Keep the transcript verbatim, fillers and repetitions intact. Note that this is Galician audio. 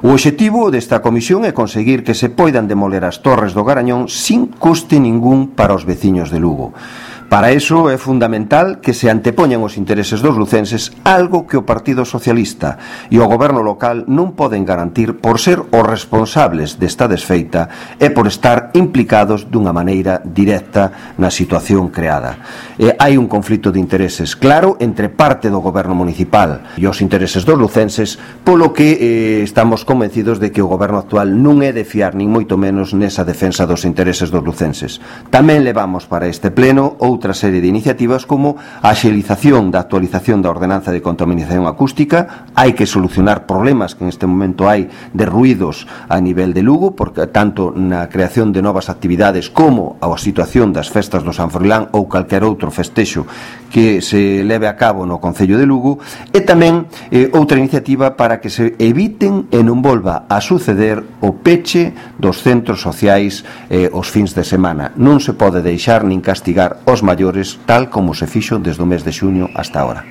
O obxectivo desta comisión é conseguir que se poidan demoler as torres do Garañón sin custe ningún para os veciños de Lugo. Para iso é fundamental que se antepoñan os intereses dos lucenses, algo que o Partido Socialista e o goberno local non poden garantir por ser os responsables desta desfeita e por estar implicados dunha maneira directa na situación creada. E hai un conflito de intereses claro entre parte do goberno municipal e os intereses dos lucenses, polo que eh, estamos convencidos de que o goberno actual non é de fiar nin moito menos nesa defensa dos intereses dos lucenses. Tamén levamos para este pleno outra outra serie de iniciativas como a axilización da actualización da ordenanza de contaminación acústica. Hai que solucionar problemas que en este momento hai de ruídos a nivel de Lugo, porque tanto na creación de novas actividades como a situación das festas do San Froilán ou calquer outro festexo que se leve a cabo no Concello de Lugo, e tamén eh, outra iniciativa para que se eviten e non volva a suceder o peche dos centros sociais eh, os fins de semana. Non se pode deixar nin castigar os maiores tal como se fixo desde o mes de xuño hasta ahora.